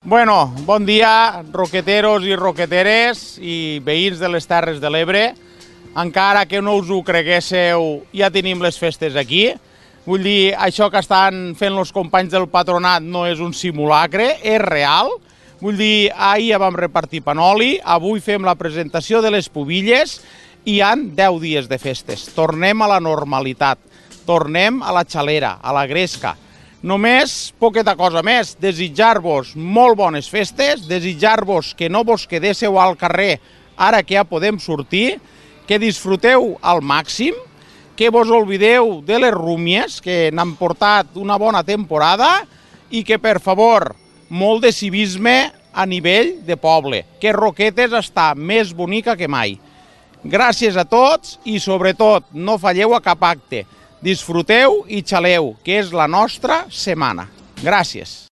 Bueno, bon dia, roqueteros i roqueteres i veïns de les Terres de l'Ebre. Encara que no us ho creguéssiu, ja tenim les festes aquí. Vull dir, això que estan fent els companys del patronat no és un simulacre, és real. Vull dir, ahir ja vam repartir panoli, avui fem la presentació de les pubilles i hi ha 10 dies de festes. Tornem a la normalitat, tornem a la xalera, a la gresca. Només poqueta cosa més, desitjar-vos molt bones festes, desitjar-vos que no vos quedéssiu al carrer ara que ja podem sortir, que disfruteu al màxim, que vos oblideu de les rúmies, que n'han portat una bona temporada i que, per favor, molt de civisme a nivell de poble, que Roquetes està més bonica que mai. Gràcies a tots i, sobretot, no falleu a cap acte. Disfruteu i xaleu, que és la nostra setmana. Gràcies.